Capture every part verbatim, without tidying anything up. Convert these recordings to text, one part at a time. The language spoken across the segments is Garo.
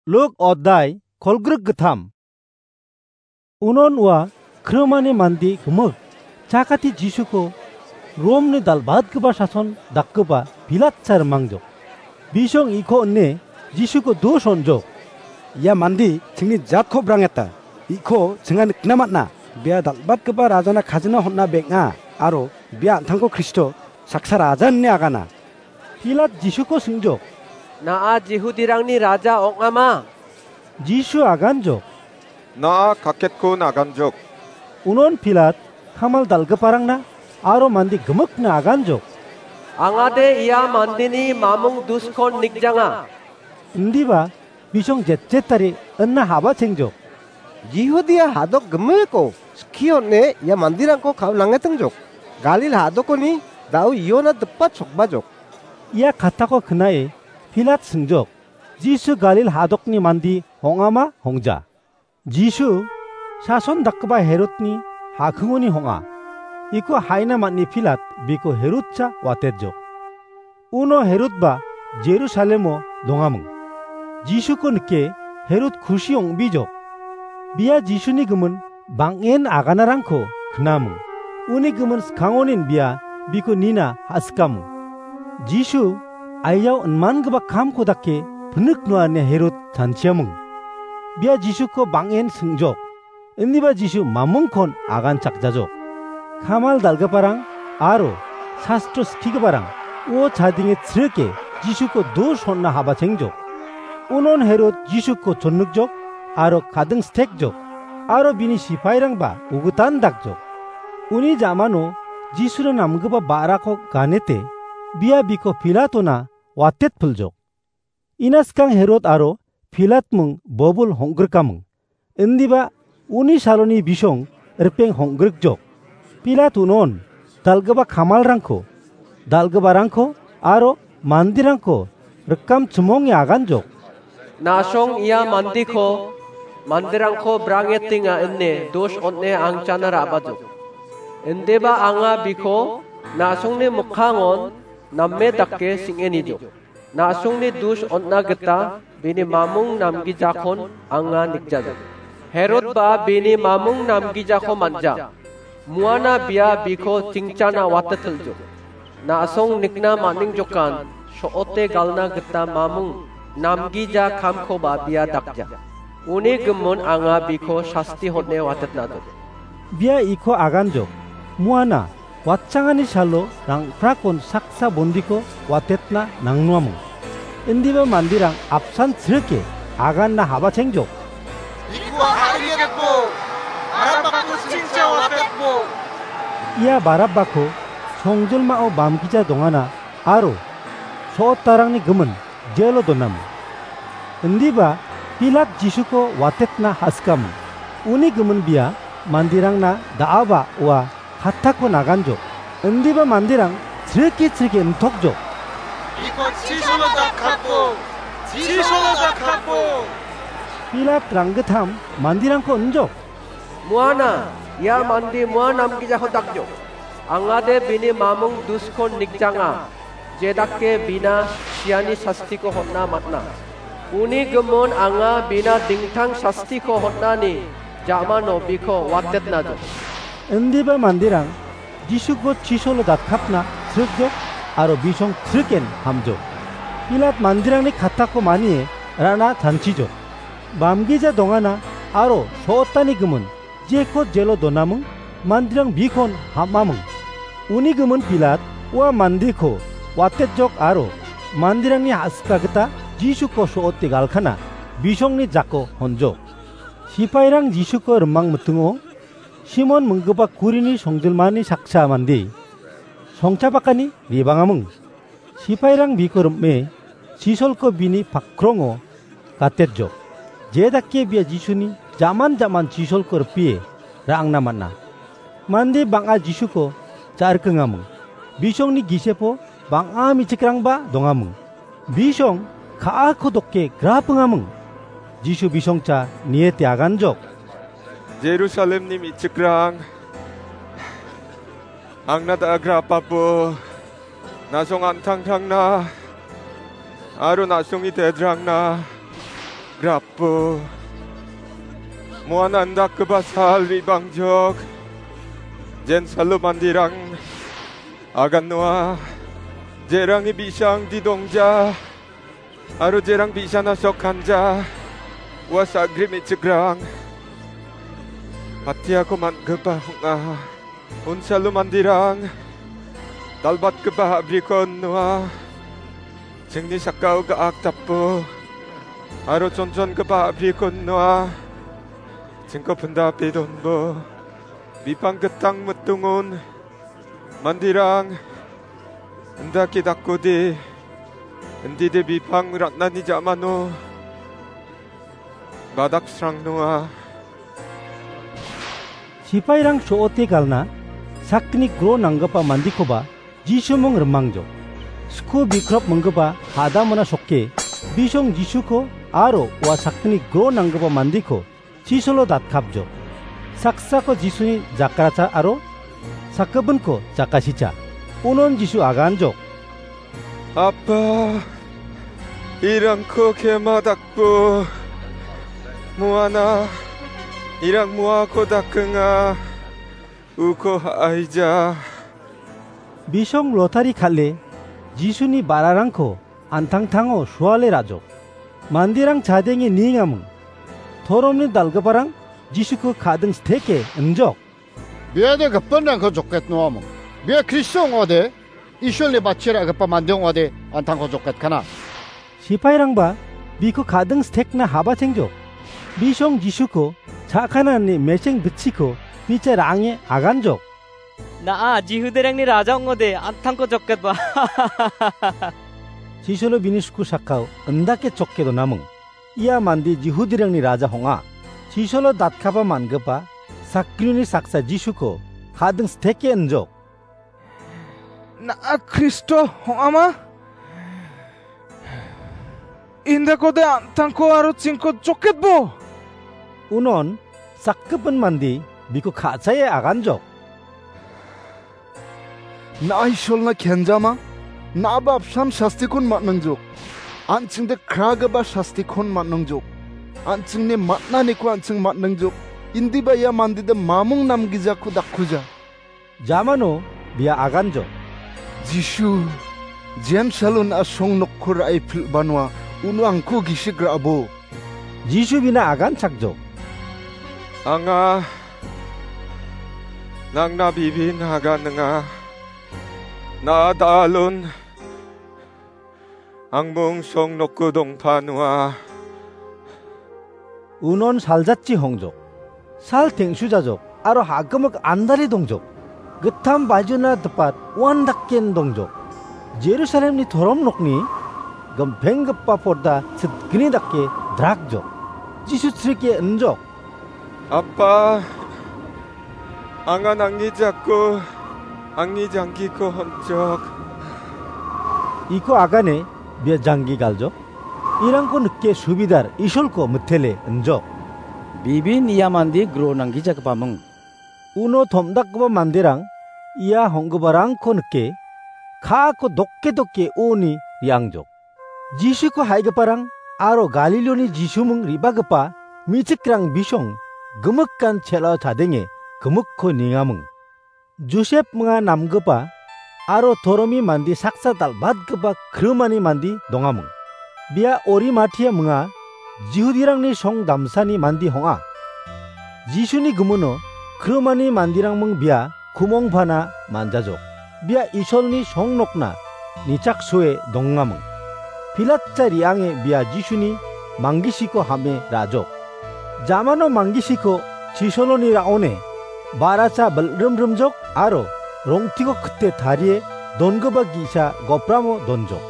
Luk odai kolgrik gittam. Unon ua krimani mande gimik chakati Jisuko Romni dal·batgipa sason dakgipa Pilatsa rimangjok. Bisong iko ine Jisuko dos on·jok. Ia mande chingni jatko brangeta. Iko chinga nikna man·a. Bia dal·batgipa rajana kajina hon·a beng·a aro bia an·tangko Kristo saksa raja ine agana. Pilat Jisuko singjok. Na·a Jihudirangni raja ong·ama? Jisu aganjok. Na·a kaketko naganjok. Unon Pilat kamal dal·giparangna aro mande gimikna aganjok. Angade ia mandeni mamung duskon nikjanga. Indiba bisong jetjetari inna haba chengjok. Jihudia hadok gimiko skionne ia manderangko ka·o nangetingjok. Galil hadokoni da·o iona dipa chokbajok. Ia katako knae Pilat singjok. Jisu Galil hadokni mande hong·ama hongja. Jisu sason dakgipa Herodni hakingoni hong·a. Iko haina man·e Pilat biko Herodsa watetjok. Uno Herodba Jerusalemo dongaming. Jisuko nike Herod kusi ong·bijok. Bia Jisuni gimin bang·en aganarangko knaming. Uni gimin skangonin bia biko nina ha·sikaming. Jisu aiyao inmangipa kamko dake pinik noa ine Herod chanchiaming. Bia Jisuko bang·en singjok. Indiba Jisu mamungkon aganchakjajok. Kamal dal·giparang aro sastro skigiparang uo chadenge chrike Jisuko dos on·na haba chengjok. Unon Herod Jisuko chonnikjok aro kading stekjok aro bini sipairangba ugitan dakjok. Uni ja·mano Jisuna namgipa ba·rako ganete bia biko Pilatona watetpiljok. Ina skang Herod aro Pilat ming bobul hong·grikaming. Indiba uni saloni bisong ripeng hong·grikjok. Pilat unon dal·gipa kamalrangko, dal·giparangko aro manderangko rikam chimonge aganjok. Na·song ia mandeko manderangko brangetenga ine dos on·e angchana ra·bajok. Indiba anga biko na·songni mikkangon name dake sing·enijok. Na·songni dos on·na gita bini mamung namgijakon anga nikjaja. Herodba bini mamung namgijako man·ja. Muana bia biko chingchana watetiljo. Na·song nikna man·ningjokan so·ote galna gita mamung namgija kamkoba bia dakja. Uni gimin anga biko sasti hon·e watetnado. Bia iko aganjok. Muana watchangani salo rangprakon saksa bondiko watetna nangnuamung. Indiba manderang apsan chrike aganna haba chengjok. Iko haringetbo, Barabbako chingcha watetbo. Ia Barabbako songjolmao bamgija dongana aro so·otarangni gimin jelo donamung. Indiba Pilat Jisuko watetna ha·sikamung. Uni gimin bia manderangna da·aba ua kattako naganjok. Indiba manderang chrike chrike intokjok. Iko chisolo dakhapo! Chisolo dakhapo! Pilat ranggittam manderangko injok. Muana, ia mande mua namgijako dakjok. Angade bini mamung duskon nikjanga. Jedake bina siani sastiko hon·na man·a. Uni gimin anga bina dingtang sastiko hon·ani ja·mano biko watetnajok. Indiba manderang Jisuko chisolo datkapna srikjok aro bisong sriken hamjok. Pilat manderangni kattako manie ra·na chanchijok. Bamgija dongana aro so·otani gimin jeko jelo donaming, manderang bikon ham·aming. Uni gimin Pilat ua mandeko watetjok aro manderangni a·sika gita Jisuko so·ote galkana bisongni jako honjok. Sipairang Jisuko rimang mitingo Simon minggipa kurini songjilmani saksa mande songchapakani re·bangaming. Sipairang biko rim·e chisolko bini pakrongo gatetjok. Je dake bia Jisuni jaman jaman chisolko ripie ra·angna man·a. Mande bang·a Jisuko ja·rikengaming. Bisongni gisepo bang·a me·chikrangba dongaming. Bisong ka·ako doke grapingaming. Jisu bisongcha niete aganjok. Jerusalemni me·chikrang, angna da·a grapapo. Na·song an·tangtangna aro na·songni tedrangna Grapo, moan andakgipa sal ribangjok, jen salo mandirang agan noa, jerangi bisang didongja, aro jerang bisana sok kanja, ua sagri me·chikrang, patiako man·gipa ong·a. Unsalo mandirang, dal·batgipa a·briko noa, chingni sakao ga·ak tapo, aro chonchongipa a·briko noa, chingko pindape donbo, bipang gitang mitungon, mandirang, indake dakode, indide bipang ran·ani jamano, badaksrang noa. Sipairang so·ote galna sakgni gro nanggipa mandikoba Jisumung rimangjok. Sku bikrop minggipa hadamona sokke bisong Jisuko aro ua sakgni gro nanggipa mandiko chisolo datkapjok. Saksako Jisuni jakracha aro sakgipinko jakasicha. Unon Jisu aganjok. Apa, irangko kema dakbo. Muana, irang muako dakenga. Uko ha·aija. Bisong lotari kal·e Jisuni ba·rarangko an·tangtango suale ra·jok. Manderang chadenge niengaming. Toromni dal·giparang Jisuko ka·ding steke injok. Biade gipinrangko joket noaming. Bia Kristo ong·ode, Isolni bachera gipa mande ong·ode, an·tangko joketkana. Sipairangba biko ka·ding stekna habachengjok. Bisong Jisuko cha·kanani mecheng bitchiko bicha ra·ange aganjok. Na·a, Jihudirangni raja ong·ode, an·tangko joketba. Chisolo bini sku sakao indake chokke donaming. Ia mande Jihudirangni raja ong·a. Chisolo datkaba man·gipa sakgnini saksa Jisuko ka·ding steke injok. Na·a Kristo ong·ama? Indakode an·tangko aro chingko joketbo. Unon sakgipin mande biko ka·chae aganjok. Na·a Isolna kenjama? Na·aba apsan sastikon man·angjok. An·chingde kragipa sastikon man·angjok. An·chingni man·aniko an·ching man·angjok. Indiba ia mandede mamung namgijako dakkuja. Jamano bia aganjok. Jisu, Jems alun asong nokko ra·e pil·banoa, uno angko gisik ra·bo. Jisu bina aganchakjok. Anga nangna bibin aganinga. Na·a da·alon angmong song nokko dongpanoa. Unon saljatchi hongjok. Sal teng·sujajok aro ha·gimik andare dongjok. Gittam bajona dipat uan daken dongjok. Jerusalemni torom nokni gimpenggipa porda sitgni dake drakjok. Jisu chrike injok. Apa, anga nangni jako, angni janggiko honchok. Iko agane bia janggi galjok. Irangko nike subidar Isolko mitele injok. Bibin ia mande gro nanggijakgipaming. Uno tom·dakgipa manderang ia hong·giparangko nike, ka·ako dokke dokke oni re·angjok. Jisuko ha·igiparang aro Galiloni Jisumung re·bagipa me·chikrang bisong gimikkan chel·ao chadenge gimikko niengaming. Josep minga namgipa aro toromi mande saksa dal·batgipa krimani mande dongaming. Bia Orimatia minga Jihudirangni song damsani mande ong·a. Jisuni gimino krimani manderangming bia kumongpana manjajok. Bia Isolni song nokna nichaksoe dongaming. Pilatsa re·ange bia Jisuni manggisiko ham·e ra·jok. Jamano manggisiko chisoloni ra·one ba·racha bilrimrimjok aro rong·tiko kite tarie dongipa ge·sa gopramo donjok.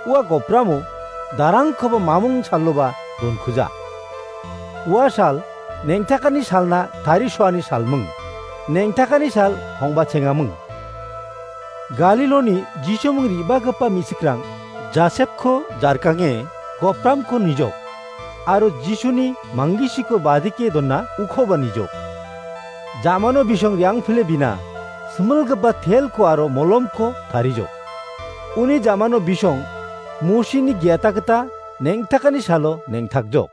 Ua gopramo darangkoba mamung saloba donkuja. Ua sal neng·takani salna tarisoani salming. Neng·takani sal hongbachengaming. Galiloni Jisumung re·bagipa me·chikrang Josepko jarkange gopramko nijok, aro Jisuni manggisiko badike dona ukoba nijok. Jamano bisong re·angpile bina similgipa telko aro molomko tarijok. Uni jamano bisong Mosini ge·ata gita neng·takani salo neng·takjok.